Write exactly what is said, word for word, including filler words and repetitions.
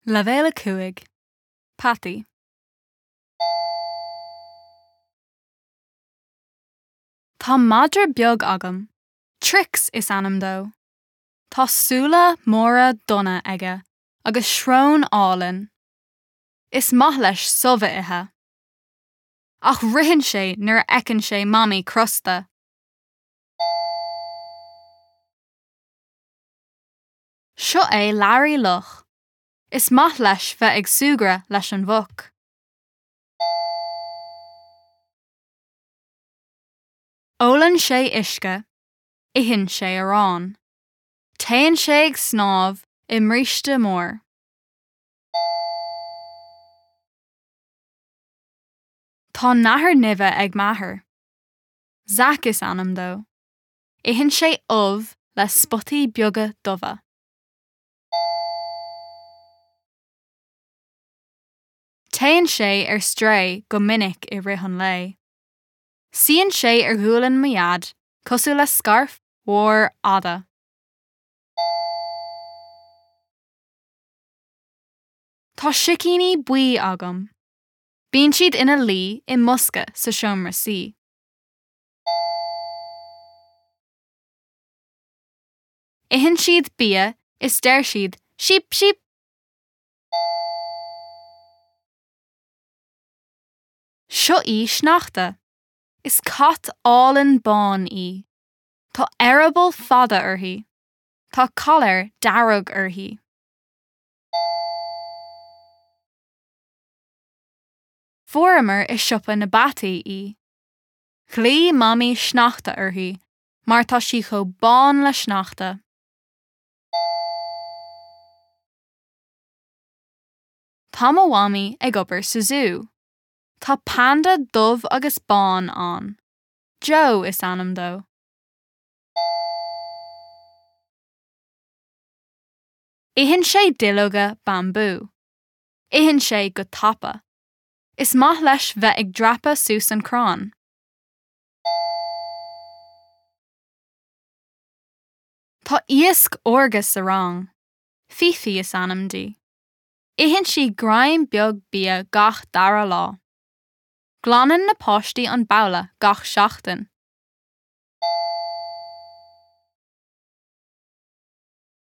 Leibhéal a cúig. Peataí. Tá madra beag agam. Trix is ainm dó. Tá súile móra donna aige agus srón álainn. Is maith leis subh a ithe. Ach ritheann sé nuair a fheiceann sé Mamaí crosta. Seo é Learaí Luch. Is maith leis bheith ag súgradh leis an mhuc. Ólann sé uisce, itheann sé arán. Téann sé ag snámh i mbríste mór. Tá nathair nimhe ag m'athair. Zac is ainm dó. Itheann sé ubh le spotaí beaga dubha. Téann sé ar strae go minic i rith an lae. Suíonn sé ar ghualainn mo dhaid cosúil le scairf mhór fhada. Tá sicíní buí agam. Bíonn siad ina luí i mbosca sa seomra suí. Itheann siad bia is deir siad "Síp síp!" Seo í Sneachta. Is cat álainn bán í. Tá eireaball fada uirthi. Tá coiléar dearg uirthi. Fuaireamar i siopa na bpeataí í. Ghlaoigh Mamaí Sneachta uirthi mar tá sí chomh bán le sneachta. Tá mo mhamaí ag obair sa zú. Tá panda dubh agus bán ann. Joe is ainm dó. Itheann sé duilleoga bambú. Itheann sé go tapa. Is maith leis bheith ag dreapadh suas an crann. Tá iasc órga sa rang. Fifi is ainm di. Itheann sí greim beag bia gach dara lá. Glanann na páistí an babhla gach seachtain.